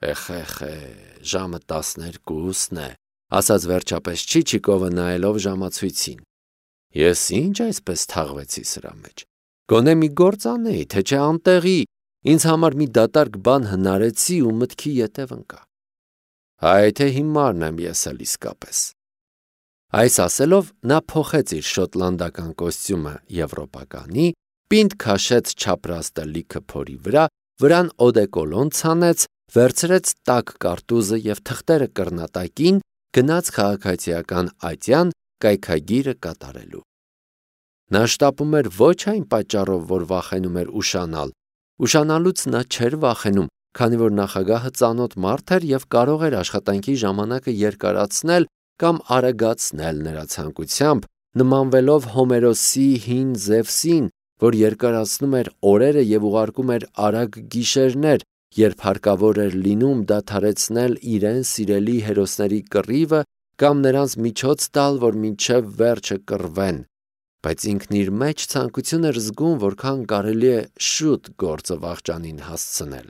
Էխ, ժամը 12-ն է, ասաց վերջապես Չիչիկովը նայելով ժամացույցին։ Ես ինչ այսպես թաղվեցի սրա մեջ։ Գոնե մի գործ անեի, թե չէ անտեղի, ինձ համար մի դատարկ բան հնարեցի ու մտքի ետև ընկա։ Հայ թե հիմարն եմ ես էլ իսկապես։ Այս ասելով նա փոխեց իր շոտլանդական կոստյումը եվրոպականի, պինդ քաշեց չապրաստը լիքը փորի վրան օդեկոլոն ցանեց, վերցրեց տաք կարտուզը և թղթերը կռնատակին, գնաց քաղաքացիական ատյան կայքագիրը կատարելու։ Նա շտապում էր ոչ այն պատճառով, որ վախենում էր ուշանալ։ Ուշանալուց նա չէր վախենում, քանի որ նախագահը ծանոթ մարդ էր և կարող էր աշխատանքի ժամանակը երկարացնել կամ արագացնել նրա ցանկությամբ, նմանվելով Հոմերոսի հին Զևսին, որ երկարացնում էր օրերը և ուղարկում էր արագ գիշերներ, երբ հարկավոր էր լինում դադարեցնել իրեն սիրելի հերոսների կռիվը կամ նրանց միջոց տալ, որ մինչև վերջը կռվեն, բայց ինքն իր մեջ ցանկություն էր զգում, որքան կարելի է շուտ գործը վախճանին հասցնել։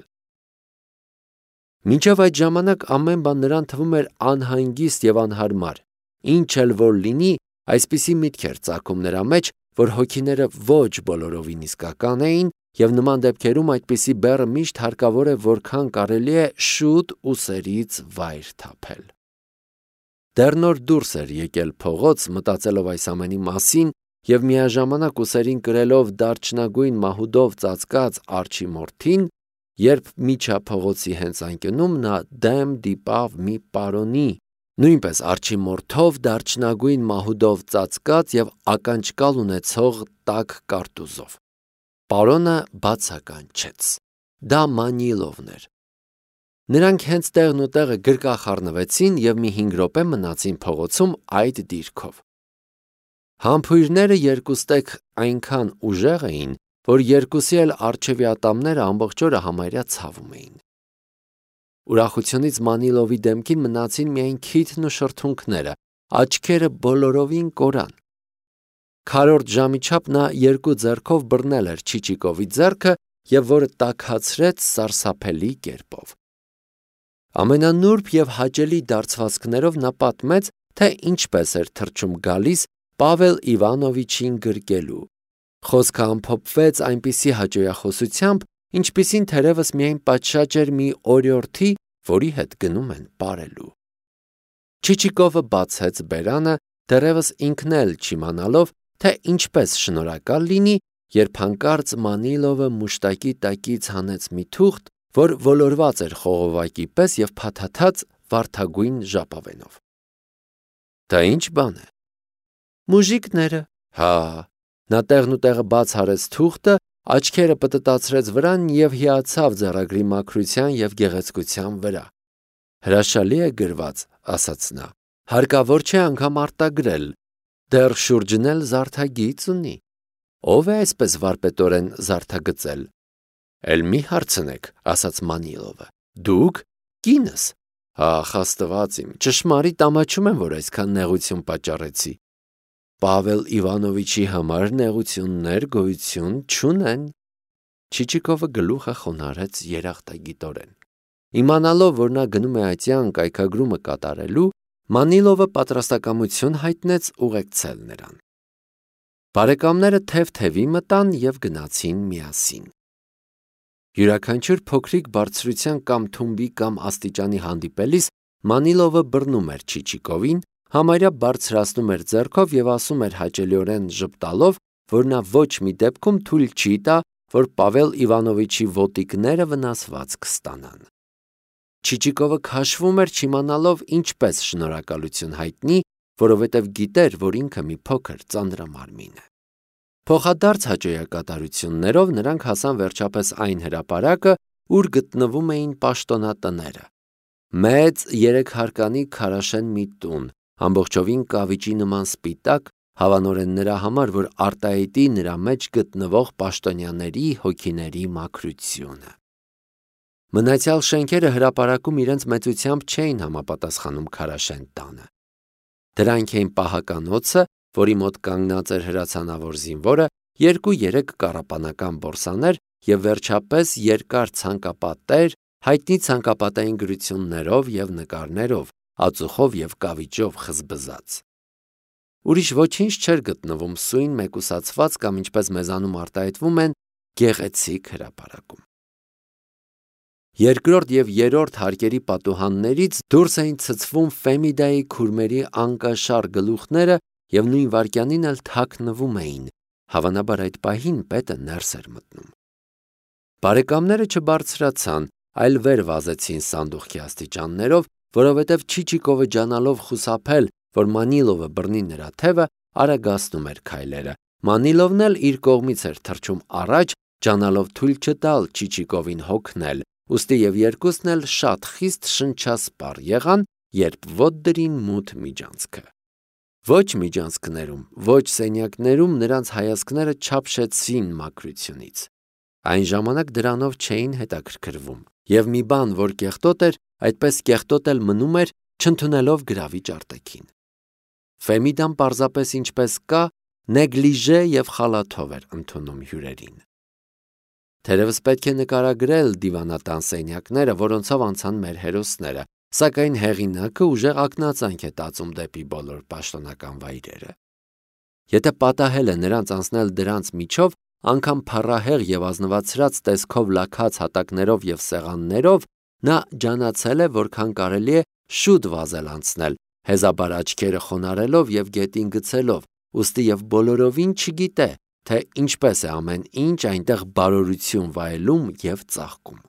Մինչև այդ ժամանակ ամեն բան նրան թվում էր անհանգիստ և անհարմար, ինչ էլ որ լինի, այսպիսի միտք էր ծագում նրա մեջ, որ հոգիները ոչ բոլորովին իսկական էին, և նման դեպքերում այդպիսի բեռը միշտ հարկավոր է որքան կարելի է շուտ ուսերից վայր թափել։ Դեռ նոր դուրս էր եկել փողոց, մտածելով այս ամենի մասին և միաժամանակ ուսերին կրելով դարչնագույն մահուդով ծածկած արջի մորթին, երբ միջափողոցի հենց անկյունում նա դեմ դիպավ մի պարոնի, նույնպես արջի մորթով դարչնագույն մահուդով ծածկած և ականջկալ ունեցող տաք կարտուզով։ Պարոնը բացականչեց։ Դա Մանիլովն էր։ Նրանք հենց տեղն ու տեղը գրկախառնվեցին և մի 5 րոպե մնացին փողոցում այդ դիրքով։ Համբույրները երկուստեք այնքան ուժեղ էին, որ երկուսի էլ առջևի ատամները ամբողջ օրը համարյա ցավում էին։ Ուրախությունից Մանիլովի դեմքին մնացին միայն քիթն ու շրթունքները, աչքերը բոլորովին կորան։ Քառորդ ժամի չափ նա երկու ձեռքով բռնել էր Չիչիկովի ձեռքը և որը տաքացրեց սարսափելի կերպով։ Ամենանուրբ և հաճելի դարձվածքներով նա պատմեց, թե ինչպես էր թռչում գալիս Պավել Իվանովիչին գրկելու։ Խոսքը ամփոփվեց այնպիսի հաճոյախոսությամբ, ինչպիսին թերևս միայն պատշաճ էր մի օրիորդի, որի հետ գնում են պարելու։ Չիչիկովը բացեց բերանը, դեռևս ինքն էլ չիմանալով, թե ինչպես շնորհակալ լինի, երբ հանկարծ Մանիլովը մուշտակի տակից հանեց մի թուղթ, որ ոլորված էր խողովակի պես և փաթաթած վարդագույն ժապավենով։ Դա ինչ բան է։ Մուժիկները։ Հա։ Նա տեղն ու տեղը բաց արեց թուղթը, աչքերը պտտացրեց վրան և հիացավ ձեռագրի մաքրության և գեղեցկության վրա։ Հրաշալի է գրված, ասաց նա։ Հարկավոր չէ անգամ արտագրել։ Դեռ շուրջն էլ զարդագիծ ունի։ Ո՞վ է այսպես վարպետորեն զարդագծել։ Էլ մի հարցնեք, ասաց Մանիլովը։ Դուք, կինս։ Ախ, Աստված իմ, ճշմարիտ ամաչում եմ, որ այսքան նեղություն պատճառեցի։ Պավել Իվանովիչի համար նեղություններ գոյություն չունեն։ Չիչիկովը գլուխը խոնարհեց երախտագիտորեն։ Իմանալով, որ նա գնում է ատյան կայքագրումը կատարելու, Մանիլովը պատրաստակամություն հայտնեց ուղեկցել նրան։ Բարեկամները թև-թևի մտան և գնացին միասին։ Յուրաքանչյուր փոքրիկ բարձրության կամ թումբի կամ աստիճանի հանդիպելիս Մանիլովը բռնում էր Չիչիկովին, համարյա բարձրացնում էր ձեռքով և ասում էր հաճելիորեն ժպտալով, որ նա ոչ մի դեպքում թույլ չի տա, որ Պավել Իվանովիչի ոտիկները վնասված կստանան։ Չիչիկովը քաշվում էր չիմանալով ինչպես շնորհակալություն հայտնի, որովհետև գիտեր, որ ինքը մի փոքր ծանրամարմին է։ Փոխադարձ հաճոյակատարություններով նրանք հասան վերջապես այն հրապարակը, ուր գտնվում էին պաշտոնատները։ Մեծ 3 հարկանի քարաշեն մի տուն, ամբողջովին կավիճի նման սպիտակ, հավանորեն նրա համար, որ արտահայտի նրա մեջ գտնվող պաշտոնյաների հոգիների մաքրությունը։ Մնացյալ շենքերը հրապարակում իրենց մեծությամբ չէին համապատասխանում քարաշեն տանը։ Դրանք էին պահականոցը, որի մոտ կանգնած էր հրացանավոր զինվորը, 2-3 կառապանական բորսաներ և վերջապես երկար ցանկապատեր, հայտնի ցանկապատային գրություններով և նկարներով, ածուխով և կավիճով խզբզած։ Ուրիշ ոչինչ չէր գտնվում սույն մեկուսացված կամ ինչպես մեզանում արտահայտվում են գեղեցիկ հրապարակում։ Երկրորդ և երրորդ հարկերի պատուհաններից դուրս էին ցցվում Ֆեմիդայի քուրմերի անկաշար գլուխները և նույն վայրկյանին էլ թաքնվում էին, հավանաբար այդ պահին պետը ներս էր մտնում։ Բարեկամները չբարձրացան, այլ վեր վազեցին սանդուղքի աստիճաններով, որովհետև Չիչիկովը ջանալով խուսափել, որ Մանիլովը բռնի նրա թևը, արագացնում էր քայլերը։ Մանիլովն էլ իր կողմից էր թռչում առաջ, ջանալով թույլ չտալ Չիչիկովին հոգնել, ուստի և երկուսն էլ շատ խիստ շնչասպառ եղան, երբ ոտ դրին մութ միջանցքը։ Ոչ միջանցքներում, ոչ սենյակներում նրանց հայացքները չափշեցին մաքրությունից։ Այն ժամանակ դրանով չէին հետաքրքրվում, և մի բան, որ կեղտոտ էր, այդպես կեղտոտ էլ մնում էր, չընդունելով գրավիչ արտաքին։ Ֆեմիդան պարզապես ինչպես կա, նեգլիժե և խալաթով էր ընդունում հյուրերին։ Թերևս պետք է նկարագրել դիվանատան սենյակները, որոնցով անցան մեր հերոսները, սակայն հեղինակը ուժեղ ակնածանք է տածում դեպի բոլոր պաշտոնական վայրերը։ Եթե պատահել է նրանց անցնել դրանց միջով, անգամ փառահեղ և ազնվացրած տեսքով լաքած հատակներով և սեղաններով, նա ջանացել է, որքան կարելի է շուտ վազել անցնել, հեզաբար աչքերը խոնարելով և գետին գցելով, ուստի և բոլորովին չգիտե, թե ինչպես է ամեն ինչ այնտեղ բարօրություն վայելում և ծաղկում։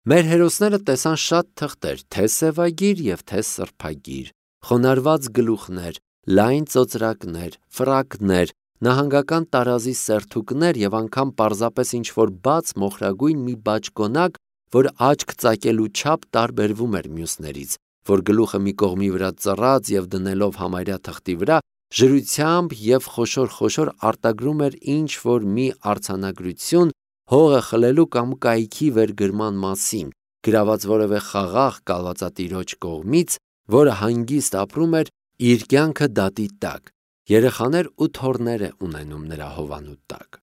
Մեր հերոսները տեսան շատ թղթեր, թե սևագիր և թե սրբագիր, խոնարհված գլուխներ, լայն ծոծրակներ, ֆրակներ, նահանգական տարազի սերթուկներ և անգամ պարզապես ինչ-որ բաց մոխրագույն մի բաճկոնակ, որ աչք ծակելու չափ տարբերվում էր մյուսներից, որ գլուխը մի կողմի վրա ծռած և դնելով համարյա թղթի վրա, ժրությամբ և խոշոր արտագրում էր ինչ-որ մի արձանագրություն հողը խլելու կամ կայքի վերգրման մասին, գրաված որևէ խաղաղ կալվածատիրոջ կողմից, որը հանգիստ ապրում էր իր կյանքը դատի տակ, երեխաներ ու թոռներ է ունենում նրա հովանու տակ։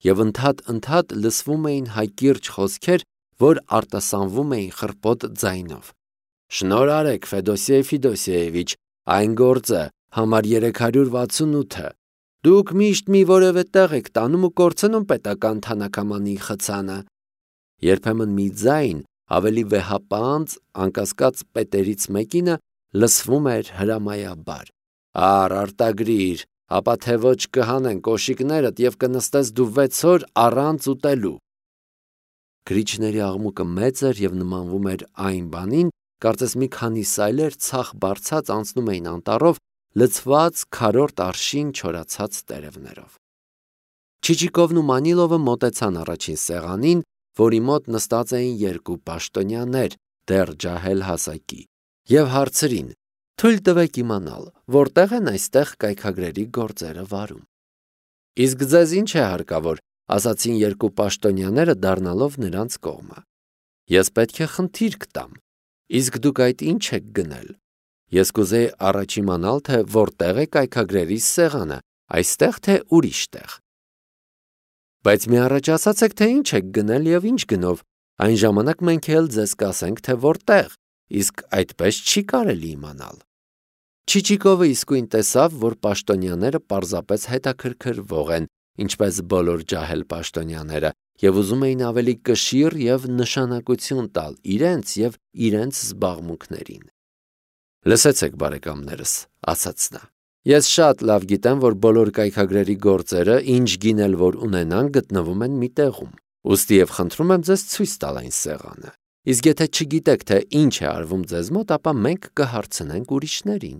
Եվ ընդհատ լսվում էին հակիրճ խոսքեր, որ արտասանվում էին խռպոտ ձայնով։ Շնորհ արեք, Ֆեդոսիե Ֆիդոսիևիչ, այն գործը, համար 368-ը։ Դուք միշտ մի որևէ տեղ եք տանում ու կորցնում պետական թանաքամանի խցանը։ Երբեմն մի ձայն, ավելի վեհապանծ, անկասկած պետերից մեկինը, լսվում էր հրամայաբար. արտագրիր, ապա թե ոչ կհանեն կոշիկներդ և կնստես դու 6 օր առանց ուտելու։ Գրիչների աղմուկը մեծ էր և նմանվում էր այն բանին, կարծես մի քանի սայլեր ցախ բարձած անցնում էին անտառով, լցված քառորդ արշին չորացած տերևներով։ Չիչիկովն ու Մանիլովը մոտեցան առաջին սեղանին, որի մոտ նստած էին երկու պաշտոնյաներ, դեռ ջահել հասակի, և հարցրին. թույլ տվեք իմանալ, որտեղ են այստեղ կայքագրերի գործերը վարում։ Իսկ ձեզ ինչ է հարկավոր, ասացին երկու պաշտոնյաները, դառնալով նրանց կողմը։ Ես պետք է խնդիր կտամ, իսկ դուք այդ ինչ եք գնել։ Ես կուզեի առաջ իմանալ, թե որտեղ է կայքագրերի սեղանը, այստեղ թե ուրիշ տեղ։ Բայց մի առաջ ասացեք, թե ինչ եք գնել և ինչ գնով, այն ժամանակ մենք էլ ձեզ կասենք, թե որտեղ, իսկ այդպես չի կարելի իմանալ։ Չիչիկովը իսկույն տեսավ, որ պաշտոնյաները պարզապես հետաքրքրվող են, ինչպես բոլոր ջահել պաշտոնյաները, և ուզում էին ավելի կշիռ և նշանակություն տալ իրենց և իրենց զբաղմունքներին։ Լսեցեք, բարեկամներս, ասաց նա. ես շատ լավ գիտեմ, որ բոլոր կայքագրերի գործերը, ինչ գին էլ որ ունենան, գտնվում են մի տեղում, ուստի և խնդրում եմ ձեզ ցույց տալ այն սեղանը, իսկ եթե չգիտեք, թե ինչ է արվում ձեզ մոտ, ապա մենք կհարցնենք ուրիշներին։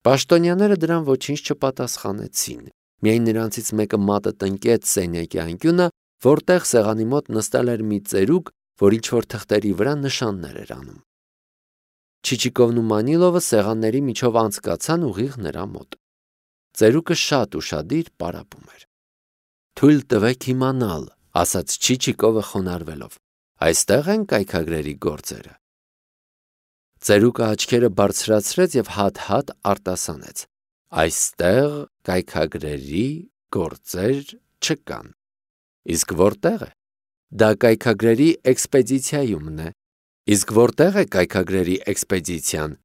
Պաշտոնյաները դրան ոչինչ չպատասխանեցին, միայն նրանցից մեկը մատը տնկեց սենյակի անկյունը, որտեղ սեղանի մոտ նստել էր մի ծերուկ, որ ինչ-որ թղթերի վրա նշաններ էր անում։ Չիչիկովն ու Մանիլովը սեղանների միջով անցկացան ուղիղ նրա մոտ։ Ծերուկը շատ ուշադիր պարապում էր։ Թույլ տվեք իմանալ, ասաց Չիչիկովը խոնարհվելով, այստեղ են կայքագրերի գործերը։ Ծերուկը աչքերը բարձրացրեց և հատ-հատ արտասանեց. այստեղ կայքագրերի գործեր չկան։ Իսկ որտեղ է։ դա կայքագրերի էքսպեդիցիայումն է։ Իսկ որտեղ է կայքագրերի էքսպեդիցիան։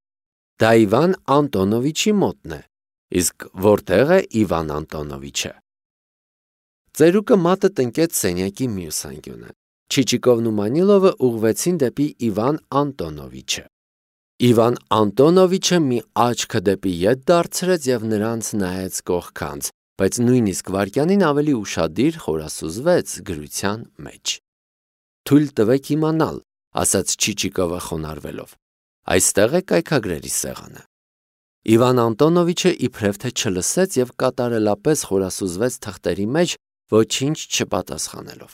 Դա Իվան Անտոնովիչի մոտն է։ Իսկ որտեղ է Իվան Անտոնովիչը։ Ծերուկը մատը տնկեց սենյակի մյուս անկյունը։ Չիչիկովն ու Մանիլովը ուղղվեցին դեպի Իվան Անտոնովիչը։ Իվան Անտոնովիչը մի աչքը դեպի ետ դարձրեց և նրանց նայեց կողքանց, բայց նույնիսկ վայրկյանին ավելի ուշադիր խորասուզվեց գրության մեջ։ «Թույլ տվեք իմանալ», ասաց Չիչիկովը խոնարհվելով։ «Այստեղ է կայքագրերի սեղանը»։ Իվան Անտոնովիչը իբրև թե չլսեց և կատարելապես խորասուզվեց թղթերի մեջ, ոչինչ չպատասխանելով։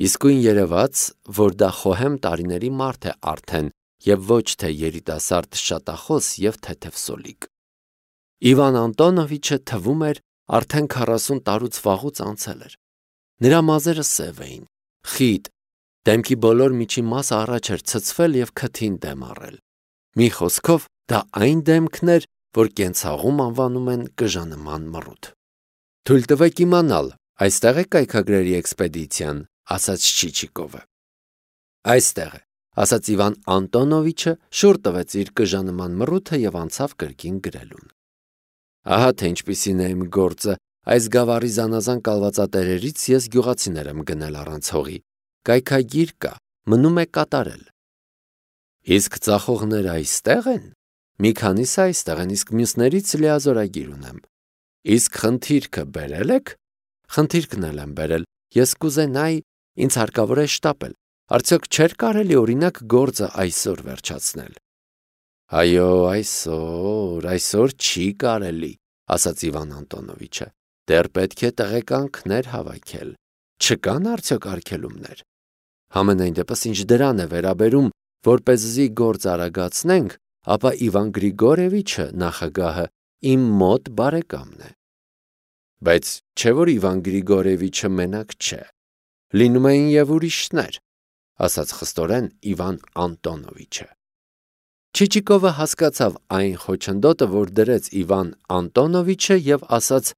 Իսկույն երևաց, որ դա խոհեմ տարիների մարդ է արդեն և ոչ թե երիտասարդ շատախոս և թեթև սոլիկ։ Իվան Անտոնովիչը թվում էր արդեն 40 տարուց վաղուց անցել էր։ Նրա մազերը սև էին, խիտ, դեմքի բոլոր միջին մասը առաջ էր ցցվել և քթին դեմ առել։ Մի խոսքով, դա այն դեմքն էր, որ կենցաղում անվանում են կժանման մռութ։ «Թույլ տվեք իմանալ, այստեղ է կայքագրերի էքսպեդիցիան», ասաց Չիչիկովը։ «Այստեղ է», ասաց Իվան Անտոնովիչը, շուռ տվեց իր կժանման մռութը և անցավ կրկին գրելուն։ Ահա թե ինչպիսին է իմ գործը, այս գավառի զանազան կալվածատերերից ես գյուղացիներ եմ գնել առանց հողի։ Կայքագիր կա, մնում է կատարել։ Իսկ ծախողները այստեղ են։ Մի քանիսը այստեղ են, իսկ մյուսներից լիազորագիր ունեմ։ Իսկ խնդիրքը բերել եք։ Խնդիրքն էլ եմ բերել, ես կուզենայի, ինձ հարկավոր է շտապել։ Արդյոք չէր կարելի օրինակ գործը այսօր վերջացնել։ Այո, այսօր չի կարելի, ասաց Իվան Անտոնովիչը։ Դեռ պետք է տեղեկանքներ հավաքել։ Չկան արդյոք արգելումներ։ Համենայն դեպս ինչ դրան է վերաբերում, որպեսզի գործ արագացնենք, ապա Իվան Գրիգորևիչը նախագահը իմ մոտ բարեկամն է։ Բայց չէ որ Իվան Գրիգորևիչը մենակ չէ։ Լինում էին և ուրիշներ, ասաց խստորեն Իվան Անտոնովիչը։ Չիչիկովը հասկացավ այն խոչընդոտը, որ դրեց Իվան Անտոնովիչը և ասաց.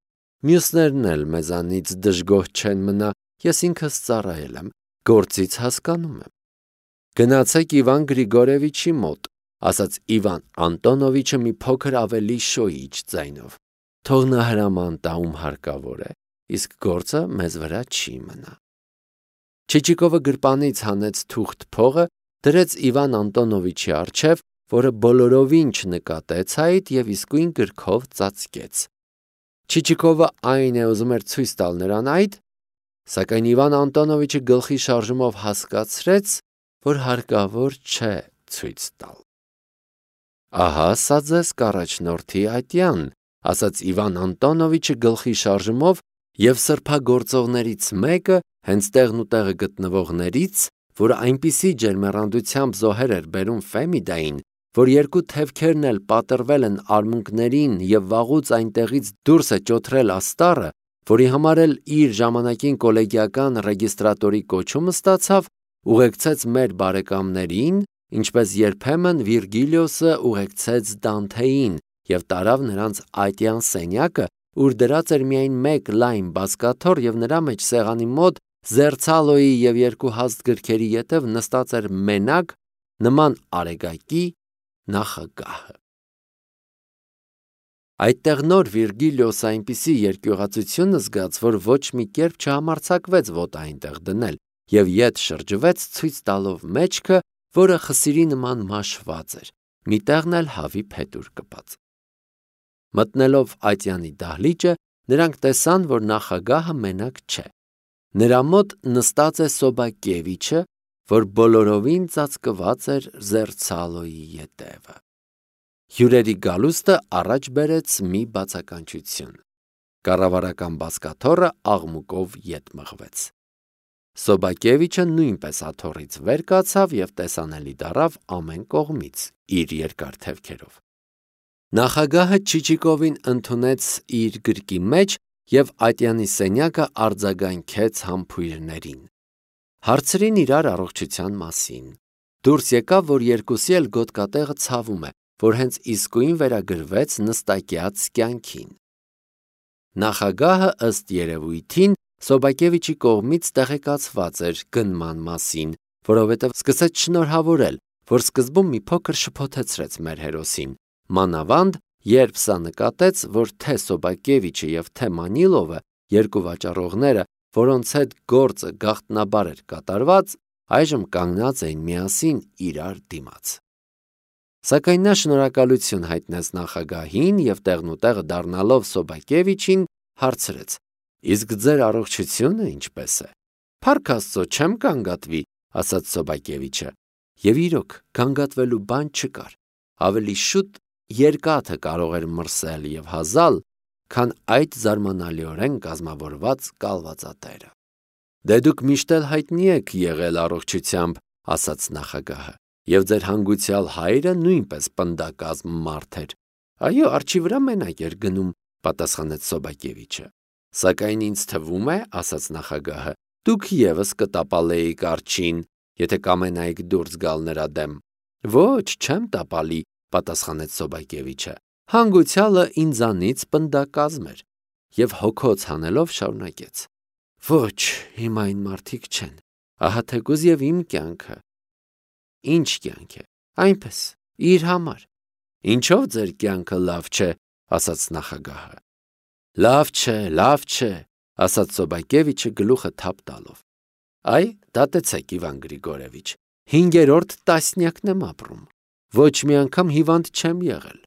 «Մյուսներն էլ մեզանից դժգոհ չեն մնա, ես ինքս ծառայել եմ, գործից հասկանում եմ»։ «Գնացեք Իվան Գրիգորևիչի մոտ», ասաց Իվան Անտոնովիչը մի փոքր ավելի շոյիչ ձայնով։ «Թող նա հրաման տա, ում հարկավոր է, իսկ գործը մեզ վրա չի մնա»։ Չիչիկովը գրպանից հանեց թուղթ փողը, դրեց Իվան Անտոնովիչի առջև, որը բոլորովին չնկատեց այդ և իսկույն գրքով ծածկեց։ Չիչիկովը այն է ուզում էր ցույց տալ նրան այդ, սակայն Իվան Անտոնովիչը գլխի շարժումով հասկացրեց, որ հարկավոր չէ ցույց տալ։ Ահա սա ձեզ կառաջնորդի ատյան, ասաց Իվան Անտոնովիչը գլխի շարժումով և սրբագործողներից մեկը, հենց տեղն ու տեղը գտնվողներից, որը այնպիսի ջերմեռանդությամբ զոհեր էր բերում Ֆեմիդային, որ երկու թևքերն էլ պատռվել են արմունկներին և վաղուց այնտեղից դուրս է ճոթրել աստառը, որի համար էլ իր ժամանակին կոլեգիական ռեգիստրատորի կոչումը ստացավ, ուղեկցեց մեր բարեկամներին, ինչպես երբեմն Վիրգիլիոսը ուղեկցեց Դանթեին և տարավ նրանց ատյան սենյակը, ուր դրած էր միայն մեկ լայն բազկաթոռ և նրա մեջ սեղանի մոտ Զերցալոյի և երկու հաստ գրքերի ետև նստած էր մենակ, նման արեգակի նախագահը։ Այդտեղ նոր Վիրգիլիոսը այնպիսի երկյուղածություն զգաց, որ ոչ մի կերպ չհամարձակվեց ոտը այնտեղ դնել և ետ շրջվեց, ցույց տալով մեջքը, որը խսիրի նման մաշված էր, մի տեղն էլ հավի փետուր կպած։ Մտնելով ատյանի դահլիճը, նրանք տեսան, որ նախագահը մենակ չէ։ Նրա մոտ նստած է Սոբակևիչը, որ բոլորովին ծածկված էր Զերցալոյի ետևը։ Հյուրերի գալուստը առաջ բերեց մի բացականչություն։ Կառավարական բազկաթոռը աղմուկով ետ մղվեց։ Սոբակևիչը նույնպես աթոռից վեր կացավ և տեսանելի դառավ ամեն կողմից իր երկար թևքերով։ Նախագահը Չիչիկովին ընդունեց իր գրկի մեջ և ատյանի սենյակը արձագանքեց համբույրներին։ Հարցրին իրար առողջության մասին։ Դուրս եկավ, որ երկուսի էլ գոտկատեղը ցավում է, որ հենց իսկույն վերագրվեց նստակյաց կյանքին։ Նախագահը ըստ երևույթին Սոբակևիչի կողմից տեղեկացված էր գնման մասին, որովհետև սկսեց շնորհավորել, որ սկզբում մի փոքր շփոթեցրեց մեր հերոսին, մանավանդ, երբ սա նկատեց, որ թե Սոբակևիչը և թե Մանիլովը, երկու վաճառողները, որոնց հետ գործը գաղտնաբար էր կատարված, այժմ կանգնած էին միասին իրար դիմաց։ Սակայն նա շնորհակալություն հայտնեց նախագահին և տեղնուտեղը դառնալով Սոբակևիչին հարցրեց. «Իսկ ձեր առողջությունը ինչպես է»։ «Փառք Աստծո, չեմ գանգատվի», ասաց Սոբակևիչը, և իրոք գանգատվելու բան չկար։ Ավելի շուտ երկաթը կարող էր մրսել և հազալ, քան այդ զարմանալիորեն կազմավորված կալվածատերը։ «Դե դուք միշտ էլ հայտնի եք եղել առողջությամբ», ասաց նախագահը, «և ձեր հանգուցյալ հայրը նույնպես պնդակազմ մարդ էր»։ «Այո, արջի վրա մենակ էր գնում», պատասխանեց Սոբակևիչը։ «Սակայն ինձ թվում է, ասաց նախագահը, դուք ևս կտապալեիք արջին, եթե կամենայիք դուրս գալ նրա դեմ»։ «Ոչ, չեմ տապալի», պատասխանեց Սոբակևիչը։ «Հանգուցյալը ինձանից պնդակազմ էր» և հոգոց հանելով շարունակեց. «Ոչ, հիմա այն մարդիկ չեն, ահա թեկուզ և իմ կյանքը»։ «Ինչ կյանք է»։ «Այնպես, իր համար»։ «Ինչով ձեր կյանքը լավ չէ», ասաց նախագահը։ Լավ չէ, ասաց Սոբակևիչը գլուխը թափ տալով։ «Այ, դատեցեք, Իվան Գրիգորևիչ, 5-րդ տասնյակն եմ ապրում, ոչ մի անգամ հիվանդ չեմ եղել։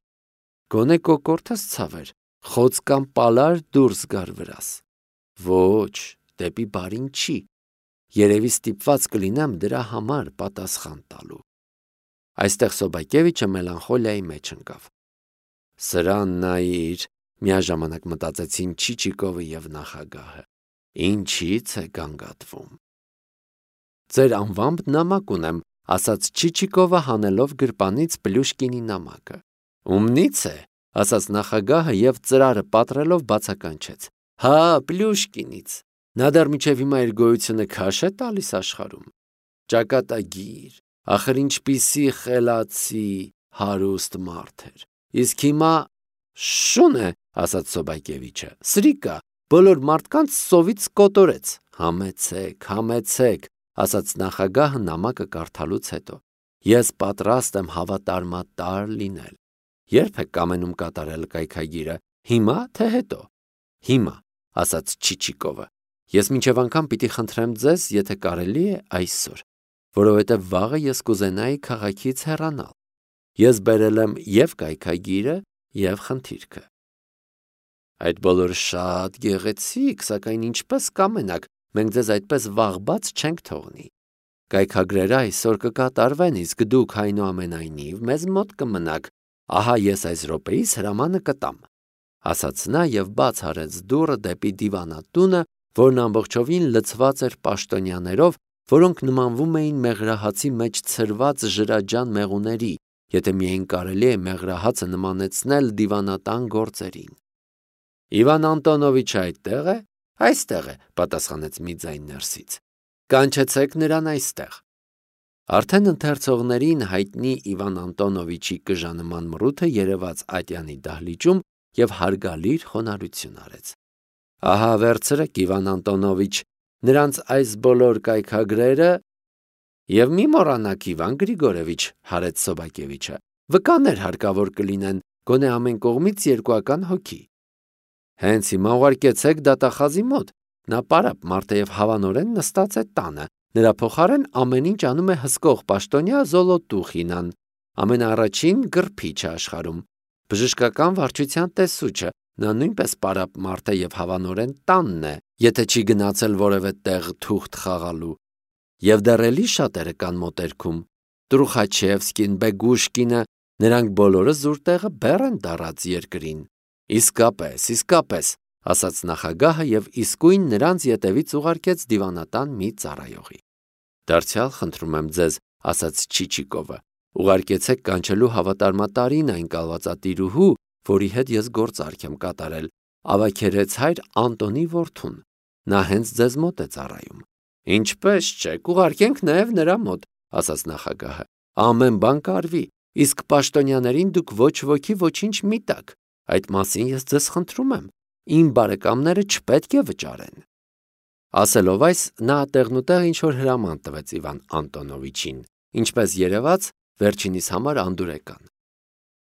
Գոնե կոկորդս ցաver, խոց կամ պալար դուրս գար վրաս։ Ոչ, դեպի բարին չի, երևի ստիպված կլինեմ դրա համար պատասխան տալու»։ Այստեղ Սոբակևիչը մելանխոլիայի մեջ ընկավ։ «Սրան նայիր», միաժամանակ մտածեցին Չիչիկովը և նախագահը, «ինչից է գանգատվում»։ «Ձեր անվամբ նամակ ունեմ», ասաց Չիչիկովը հանելով գրպանից Պլյուշկինի նամակը։ «Ումնից է», ասաց նախագահը և ծրարը պատռելով բացականչեց։ «Հա, Պլյուշկինից։ Նա դեռ մինչև հիմա իր գոյությունը քաշ է տալիս աշխարհում։ Ճակատագիր, ախր ինչպիսի խելացի, հարուստ մարդ էր։ Իսկ հիմա շուն է», ասաց Սոբակևիչը, «սրիկա, բոլոր մարդկանց սովից կոտորեց»։ Համեցեք, ասաց նախագահը նամակը կարդալուց հետո։ «Ես պատրաստ եմ հավատարմատար լինել։ Ե՞րբ եք կամենում կատարել կայքագիրը, հիմա թե հետո»։ «Հիմա», ասաց Չիչիկովը։ «Ես մինչև անգամ պիտի խնդրեմ ձեզ, եթե կարելի է, այսօր, որովհետև վաղը ես կուզենայի քաղաքից հեռանալ։ Ես բերել եմ և կայքագիրը, և խնդիրքը»։ «Այդ բոլորը շատ գեղեցիկ, սակայն ինչպես կամենաք, մենք ձեզ այդպես վաղ չենք թողնի։ Կայքագրերը այսօր կկատարվեն, իսկ դուք այնուամենայնիվ մեզ մոտ կմնաք, ահա ես այս րոպեիս հրամանը կտամ», ասաց նա և բաց արեց դուռը դեպի դիվանատունը, որն ամբողջովին լցված էր պաշտոնյաներով, որոնք նմանվում էին մեղրահացի մեջ ցրված ջրաջան մեղուների, եթե միայն կարելի է մեղրահացը նմանեցնել դիվանատան գործերին։ «Իվան Անտոնովիչը այդտե՞ղ է»։ «Այստեղ է», պատասխանեց մի ձայն ներսից։ «Կանչեցեք նրան այստեղ»։ Արդեն ընթերցողներին հայտնի Իվան Անտոնովիչի կժանման մռութը երևաց ատյանի դահլիճում և հարգալից խոնարհություն արեց։ «Ահա վերցրեք, Իվան Անտոնովիչ, նրանց այս բոլոր կայքագրերը և մի մոռանաք, Իվան Գրիգորևիչ», հարեց Սոբակևիչը, «վկաներ հարկավոր կլինեն, գոնե ամեն կողմից 2 հոգի։ Հենց հիմա ուղարկեցեք դատախազի մոտ, նա պարապ մարդ է և հավանորեն նստած է տանը, նրա փոխարեն ամեն ինչ անում է հսկող պաշտոնյա Զոլոտուխինան, ամենաառաջին գրփիչը աշխարհում, բժշկական վարչության տեսուչը, նա նույնպես պարապ մարդ է և հավանորեն տանն է, եթե չի գնացել որևէ տեղ թուղթ խաղալու։ Եվ դեռ էլի շատերը կան մոտերքում, Տրուխաչևսկին, Բեգուշկինը, նրանք բոլորը զուր տեղը բեռ են դառած երկրին։ Իսկապես, ասաց նախագահը և իսկույն նրանց ետևից ուղարկեց դիվանատան մի ծառայողի։ «Դարձյալ խնդրում եմ ձեզ», ասաց Չիչիկովը, «ուղարկեցեք կանչելու հավատարմատարին այն կալվածատիրուհու, որի հետ ես գործարք եմ կատարել, Ավագերեց հայր Անտոնի որդուն։ Նա հենց ձեզ մոտ է ծառայում»։ «Ինչպես չէ, կուղարկենք նաև նրա մոտ», ասաց նախագահը։ «Ամեն բան կարվի, իսկ պաշտոնյաներին դուք ոչ ոքի ոչինչ մի տաք, այդ մասին ես ձեզ խնդրում եմ, իմ բարեկամները չպետք է վճարեն»։ Ասելով այս, նա տեղնուտեղ ինչ-որ հրաման տվեց Իվան Անտոնովիչին, ինչպես երևաց, վերջինիս համար անդուրեկան։